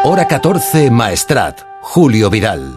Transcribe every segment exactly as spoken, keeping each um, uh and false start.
Hora catorce, Maestrat. Julio Vidal.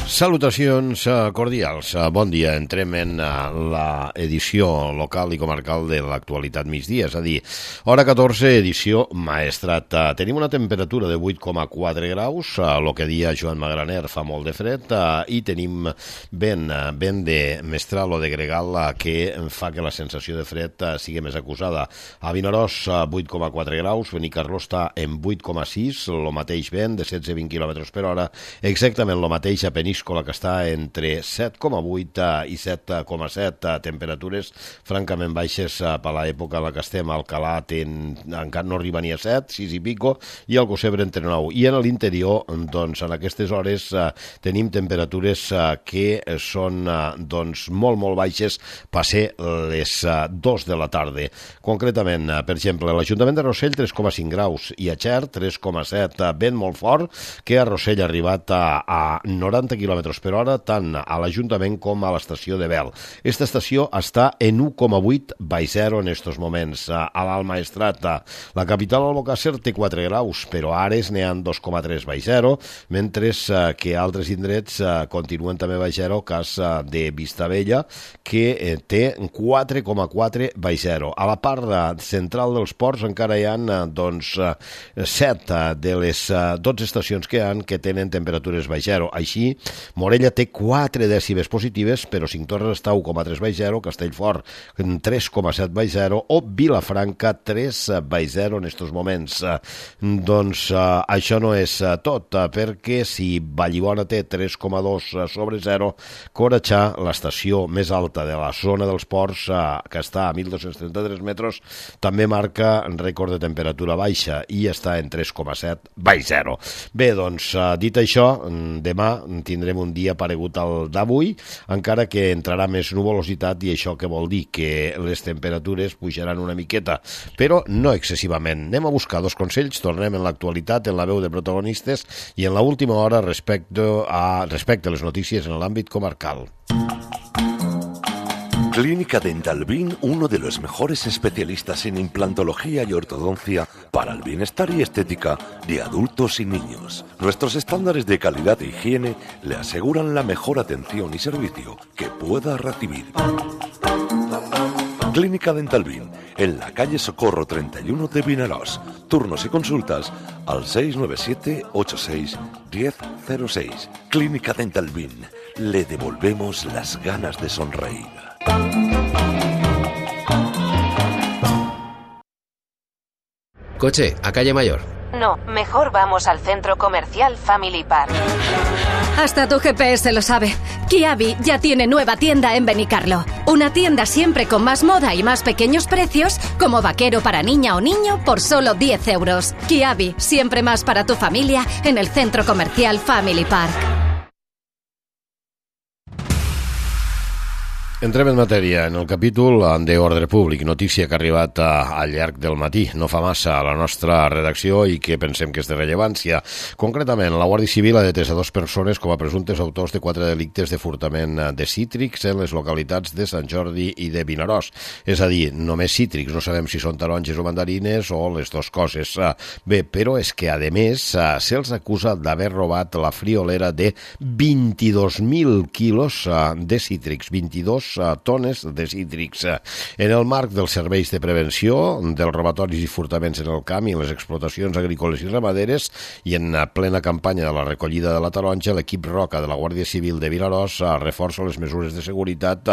Salutacions cordials, bon dia. Entrem en l'edició local i comarcal de l'actualitat migdia, és a dir, hora catorze, edició Maestrat. Tenim una temperatura de vuit coma quatre graus, el que dia Joan Magraner fa molt de fred, i tenim vent, vent de mestral o de gregal que fa que la sensació de fred sigui més acusada. A Vinaròs, vuit coma quatre graus, Benicarló està en vuit coma sis, el mateix vent de setze a vint quilòmetres per hora, exactament el mateix a Peníscola, que està entre set coma vuit i set coma set, temperatures francament baixes per l'època en la que estem. Alcalà ten, encara no arriba ni a set, sis i pico, i el Gossebre entre nou. I en l'interior, doncs, en aquestes hores tenim temperatures que són doncs, molt, molt baixes, per ser les dos de la tarda. Concretament, per exemple, l'Ajuntament de Rossell, tres coma cinc graus, i a Xert, tres coma set, vent molt fort, que a Rossell ha arribat a, a noranta quilòmetres per hora, tant a l'Ajuntament com a l'estació de Bel. Aquesta estació està en u coma vuit baix zero en estos moments. A l'Alt Maestrat, la capital Albocàsser té quatre graus, però a Ares n'hi ha dos coma tres baix zero, mentre que altres indrets continuen també baix zero, cas de Vistabella, que té quatre coma quatre baix zero. A la part central dels ports encara hi ha doncs, set de les dotze estacions que hi ha que tenen temperatures baix zero. Així, Morella té quatre dècimes positives, però Cinctorres està u coma tres baix zero, Castellfort tres coma set baix zero o Vilafranca tres baix zero en estos moments. Doncs eh, això no és tot, perquè si Vallibona té tres coma dos sobre zero, Coratxà, l'estació més alta de la zona dels ports, eh, que està a mil dos-cents trenta-tres metres, també marca rècord de temperatura baixa i està en tres coma set baix zero. Bé, doncs, eh, dit això, demà tindrem un dia paregut al d'avui, encara que entrarà més nuvolositat, i això què vol dir? Que les temperatures pujaran una miqueta, però no excessivament. Anem a buscar dos consells, tornem en l'actualitat, en la veu de protagonistes i en l'última hora respecte a, respecte a les notícies en l'àmbit comarcal. Clínica Dental Bin, uno de los mejores especialistas en implantología y ortodoncia para el bienestar y estética de adultos y niños. Nuestros estándares de calidad e higiene le aseguran la mejor atención y servicio que pueda recibir. Clínica Dental Bin, en la calle Socorro treinta y uno de Vinaròs. Turnos y consultas al seis nueve siete ocho seis uno cero cero seis. Clínica Dental Bin, le devolvemos las ganas de sonreír. Coche, a calle Mayor. No, mejor vamos al centro comercial Family Park. Hasta tu G P S lo sabe. Kiabi ya tiene nueva tienda en Benicarló. Una tienda siempre con más moda y más pequeños precios, como vaquero para niña o niño por solo diez euros. Kiabi, siempre más para tu familia en el centro comercial Family Park. Entrem en matèria, en el capítol d'Ordre Públic, notícia que ha arribat al llarg del matí, no fa massa, a la nostra redacció i que pensem que és de rellevància. Concretament, la Guàrdia Civil ha detès a dues persones com a presumptes autors de quatre delictes de furtament de cítrics en les localitats de Sant Jordi i de Vinaròs. És a dir, només cítrics, no sabem si són taronges o mandarines o les dues coses. Bé, però és que, a més, se'ls acusa d'haver robat la friolera de vint-i-dos mil quilos de cítrics, vint-i-dos tones de cítrics. En el marc dels serveis de prevenció dels robatoris i furtaments en el camp i en les explotacions agrícoles i ramaderes i en plena campanya de la recollida de la taronja, l'equip Roca de la Guàrdia Civil de Vinaròs reforça les mesures de seguretat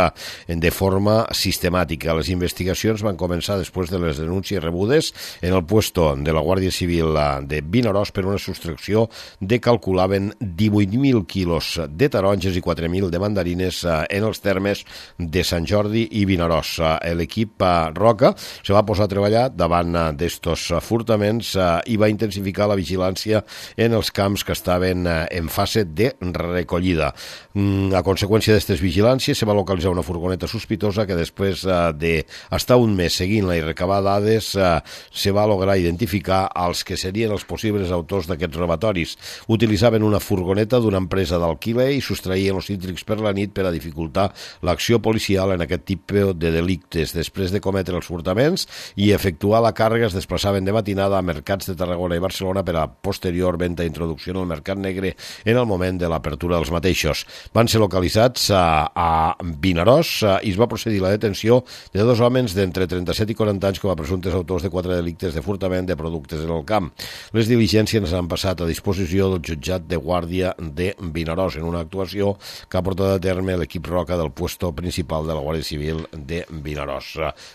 de forma sistemàtica. Les investigacions van començar després de les denúncies rebudes en el puesto de la Guàrdia Civil de Vinaròs per una sostracció de, calculaven, divuit mil quilos de taronges i quatre mil de mandarines en els termes de Sant Jordi i Vinaròs. L'equip Roca se va posar a treballar davant d'estos furtaments i va intensificar la vigilància en els camps que estaven en fase de recollida. A conseqüència d'aquestes vigilàncies se va localitzar una furgoneta sospitosa que després d'estar un mes seguint-la i recabar dades se va lograr identificar els que serien els possibles autors d'aquests robatoris. Utilitzaven una furgoneta d'una empresa d'alquiler i sostraïen els cítrics per la nit per a dificultar l'acció l'actuació policial en aquest tipus de delictes. Després de cometre els furtaments i efectuar la càrrega, es desplaçaven de matinada a mercats de Tarragona i Barcelona per a posterior venda i introducció en el mercat negre en el moment de l'apertura dels mateixos. Van ser localitzats a, a Vinaròs i es va procedir a la detenció de dos homes d'entre trenta-set i quaranta anys com a presumptes autors de quatre delictes de furtament de productes en el camp. Les diligències han passat a disposició del jutjat de guàrdia de Vinaròs en una actuació que ha portat a terme l'equip Roca del puesto principal de la Guàrdia Civil de Vinaròs.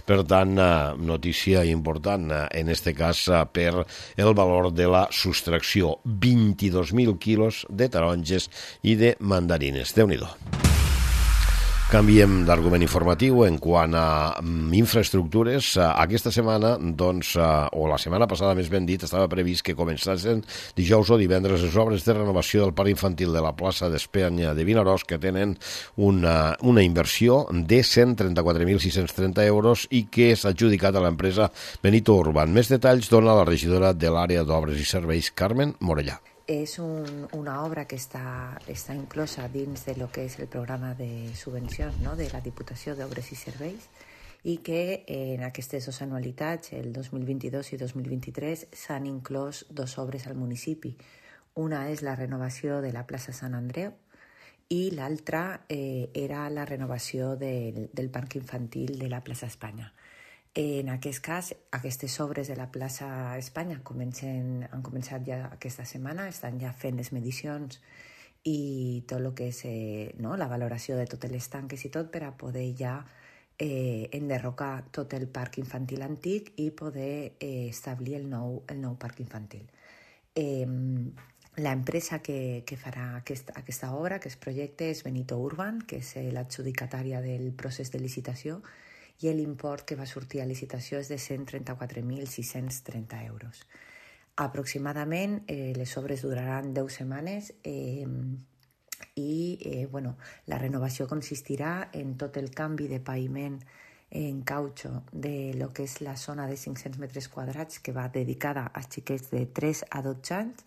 Per tant, notícia important en este cas per el valor de la sostracció, vint-i-dos mil quilos de taronges i de mandarines. Déu-n'hi-do. Canviem d'argument informatiu en quant a infraestructures. Aquesta setmana, doncs, o la setmana passada més ben dit, estava previst que començassen dijous o divendres les obres de renovació del parc infantil de la plaça d'Espanya de Vinaròs, que tenen una, una inversió de cent trenta-quatre mil sis-cents trenta euros i que s'ha adjudicat a l'empresa Benito Urban. Més detalls dona la regidora de l'àrea d'obres i serveis, Carmen Morellà. És un, una obra que està, està inclosa dins de lo que és el programa de subvencions, no?, de la Diputació d'Obres i Serveis, i que en aquestes dues anualitats, el dos mil vint-i-dos i dos mil vint-i-tres, s'han inclòs dues obres al municipi. Una és la renovació de la plaça Sant Andreu i l'altra eh, era la renovació del, del parc infantil de la plaça Espanya. En aquest cas, aquestes obres de la plaça Espanya comencen, han començat ja aquesta setmana, estan ja fent les medicions i tot el que és eh, no, la valoració de totes les tanques i tot per a poder ja eh, enderrocar tot el parc infantil antic i poder eh, establir el nou, el nou parc infantil. Eh, L'empresa que, que farà aquest, aquesta obra, aquest projecte, és Benito Urban, que és l'adjudicatària del procés de licitació, i l'import que va sortir a licitació és de cent trenta-quatre mil sis-cents trenta euros. Aproximadament eh, les obres duraran deu setmanes eh, i eh, bueno, la renovació consistirà en tot el canvi de paviment en cautxo de lo que és la zona de cinc-cents metres quadrats que va dedicada als xiquets de tres a dotze anys,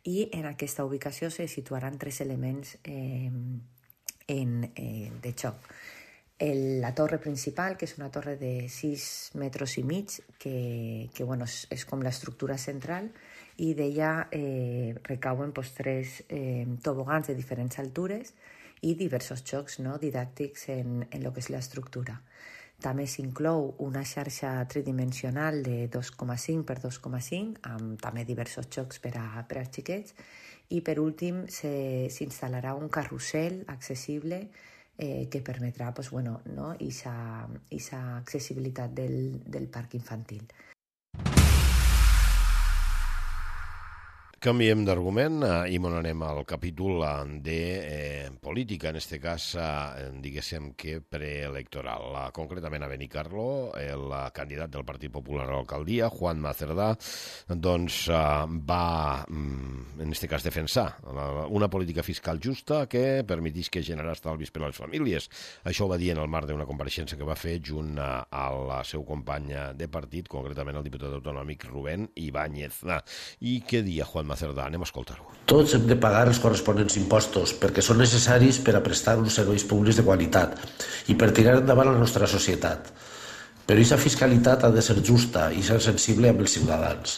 i en aquesta ubicació se situaran tres elements eh, en, eh, de xoc. El, la torre principal, que és una torre de sis metres i mig, que, que bueno, és, és com l'estructura central, i d'ella eh, recauen pues, tres eh, tobogans de diferents altures i diversos xocs, no?, didàctics en, en el que és l'estructura. També s'inclou una xarxa tridimensional de dos coma cinc per dos coma cinc, amb també diversos xocs per, a, per als xiquets, i per últim s'instal·larà un carrusel accessible Eh, que permetrà pues, bueno, no, esa, esa accessibilitat del, del parc infantil. Canviem d'argument i m'on anem al capítol de eh, política, en aquest cas, eh, diguéssim que preelectoral. Concretament a Benicarló, el candidat del Partit Popular a l'alcaldia, Juanma Cerdà, doncs eh, va, en aquest cas, defensar una política fiscal justa que permetís que generar estalvis per a les famílies. Això ho va dir en el marc d'una compareixença que va fer junt al seu company de partit, concretament el diputat autonòmic Rubén Ibáñez. I què dia Juanma Cerdà? Anem a escoltar-ho. Tots hem de pagar els corresponents impostos perquè són necessaris per a prestar uns serveis públics de qualitat i per tirar endavant la nostra societat. Però aquesta fiscalitat ha de ser justa i ser sensible amb els ciutadans.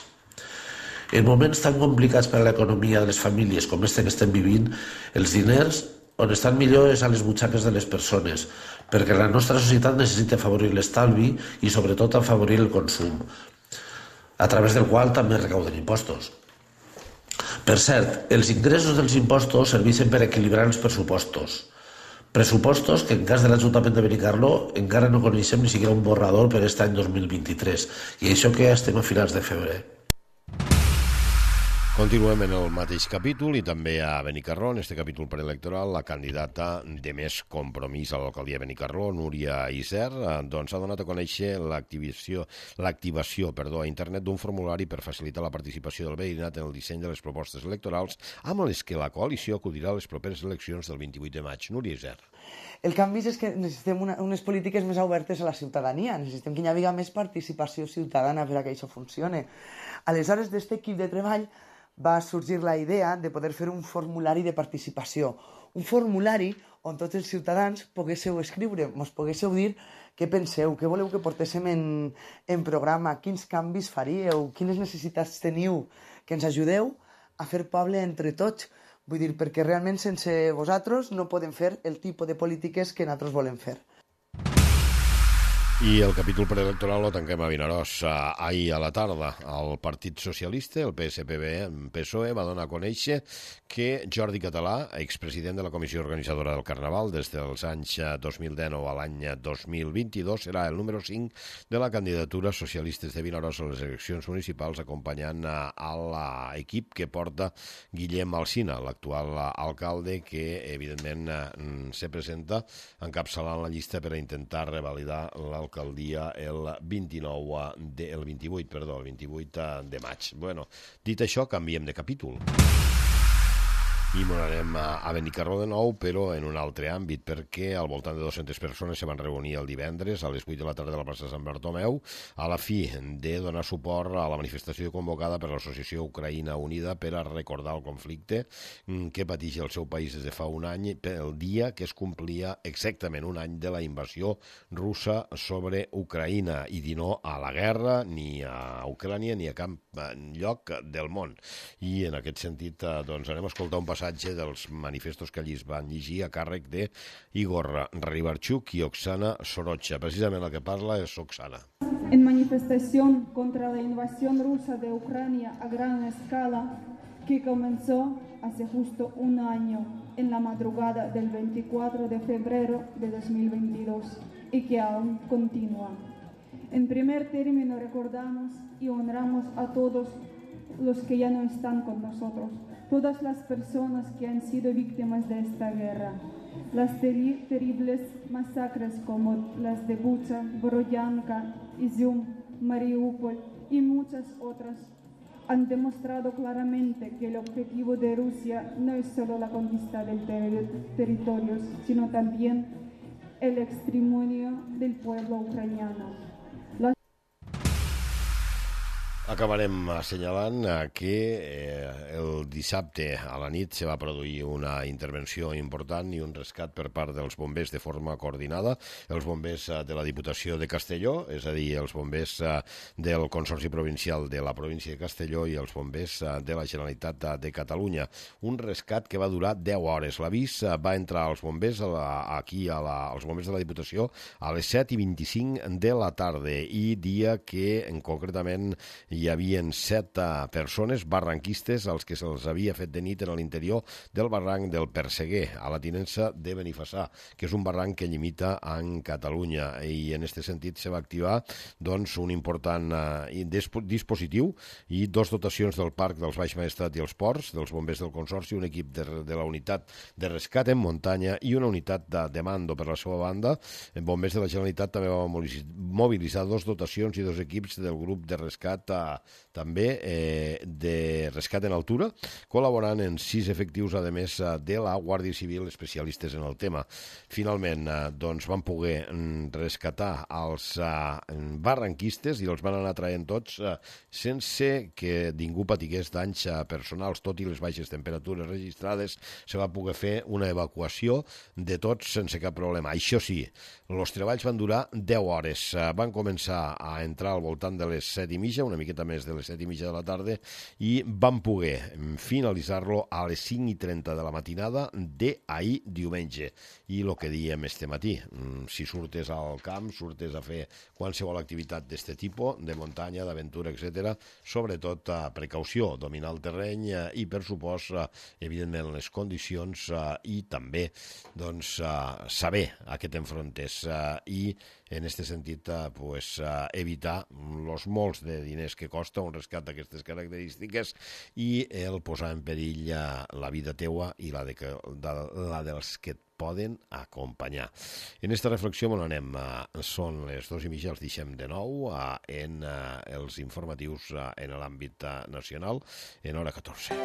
En moments tan complicats per a l'economia de les famílies com este que estem vivint, els diners on estan millor és a les butxaques de les persones, perquè la nostra societat necessita afavorir l'estalvi i sobretot afavorir el consum, a través del qual també recauden impostos. Per cert, els ingressos dels impostos serveixen per equilibrar els pressupostos. Pressupostos que en cas de l'Ajuntament de Benicarló encara no coneixem ni siquiera un borrador per aquest any dos mil vint-i-tres, i això que ja estem a finals de febrer. Continuem en el mateix capítol i també a Benicarló, en aquest capítol preelectoral, la candidata de més compromís a l'alcaldia de Benicarló, Núria Iser, doncs ha donat a conèixer l'activació l'activació perdó, a internet d'un formulari per facilitar la participació del veïnat en el disseny de les propostes electorals amb les que la coalició acudirà a les properes eleccions del vint-i-vuit de maig. Núria Iser. El canvi és que necessitem una, unes polítiques més obertes a la ciutadania, necessitem que hi hagi més participació ciutadana per a que això funcione. Aleshores, d'aquest equip de treball va sorgir la idea de poder fer un formulari de participació, un formulari on tots els ciutadans poguéssiu escriure, mos poguéssiu dir què penseu, què voleu que portéssim en, en programa, quins canvis faríeu, quines necessitats teniu, que ens ajudeu a fer poble entre tots. Vull dir, perquè realment sense vosaltres no podem fer el tipus de polítiques que nosaltres volem fer. I el capítol preelectoral lo tanquem a Vinaròs. Ahir a la tarda el Partit Socialista, el P S P B, P S O E, va donar a conèixer que Jordi Català, expresident de la comissió organitzadora del Carnaval des dels anys dos mil dinou a l'any dos mil vint-i-dos, serà el número cinc de la candidatura Socialistes de Vinaròs a les eleccions municipals, acompanyant a l'equip que porta Guillem Alsina, l'actual alcalde, que evidentment se presenta encapçalant la llista per a intentar revalidar l'alcaldia alcaldia el vint-i-nou de, el vint-i-vuit, perdó, el vint-i-vuit de maig. Bueno, dit això, canviem de capítol. I m'anarem a Benicarló de nou, però en un altre àmbit, perquè al voltant de dues-centes persones se van reunir el divendres a les vuit de la tarda a la plaça Sant Bartomeu a la fi de donar suport a la manifestació convocada per l'Associació Ucraïna Unida per a recordar el conflicte que pateix el seu país des de fa un any, el dia que es complia exactament un any de la invasió russa sobre Ucraïna, i dir no a la guerra, ni a Ucrània, ni a cap lloc del món. I en aquest sentit, doncs, anem a escoltar un passatge dels manifestos que allí es van llegir a càrrec de Igor Ribarchuk i Oksana Sorocha. Precisament el que parla és Oksana. En manifestación contra la invasión rusa de Ucrania a gran escala que comenzó hace justo un año en la madrugada del veinticuatro de febrero de dos mil veintidós y que aún continúa. En primer término recordamos y honramos a todos los que ya no están con nosotros, todas las personas que han sido víctimas de esta guerra. Las teri- terribles masacres como las de Bucha, Borodyanka, Izium, Mariupol y muchas otras han demostrado claramente que el objetivo de Rusia no es solo la conquista del ter- territorio, sino también el exterminio del pueblo ucraniano. Acabarem assenyalant que eh, el dissabte a la nit se va produir una intervenció important i un rescat per part dels bombers de forma coordinada, els bombers eh, de la Diputació de Castelló, és a dir, els bombers eh, del Consorci Provincial de la província de Castelló i els bombers eh, de la Generalitat de Catalunya. Un rescat que va durar deu hores. L'avís eh, va entrar als bombers a la, aquí a la, als bombers de la Diputació a les set i vint-i-cinc de la tarda, i dia que en concretament hi havia set persones barranquistes als que se'ls havia fet de nit en l'interior del barranc del Perseguer, a la tinença de Benifassà, que és un barranc que limita amb Catalunya, i en aquest sentit se va activar doncs, un important eh, dispositiu i dos dotacions del Parc dels Baix Maestrat i els Ports, dels bombers del Consorci, un equip de, de la unitat de rescat en muntanya i una unitat de, de mando per la seva banda. En bombers de la Generalitat també va mobilitzar dos dotacions i dos equips del grup de rescat a també eh, de rescat en altura, col·laborant en sis efectius, a més de la Guàrdia Civil, especialistes en el tema. Finalment, eh, doncs van poder rescatar els eh, barranquistes i els van anar traient tots eh, sense que ningú patigués danys eh, personals. Tot i les baixes temperatures registrades, se va poder fer una evacuació de tots sense cap problema. Això sí, els treballs van durar deu hores. Eh, van començar a entrar al voltant de les set i mitja, una miqueta més de les set i mitja de la tarda, i van poder finalitzar-lo a les cinc i trenta de la matinada d'ahir diumenge. I el que diem este matí, si surtes al camp, surtes a fer qualsevol activitat d'aquest tipus, de muntanya, d'aventura, etcètera, sobretot a precaució, dominar el terreny i, per supost, evidentment, les condicions i també doncs, saber a què t'enfrontes i, en aquest sentit, pues, evitar els molts de diners que costa un rescat d'aquestes característiques i el posar en perill la vida teua i la, de, de, la dels que et poden acompanyar. En aquesta reflexió on anem, són les dos i mitja, els deixem de nou en els informatius en l'àmbit nacional en hora catorze.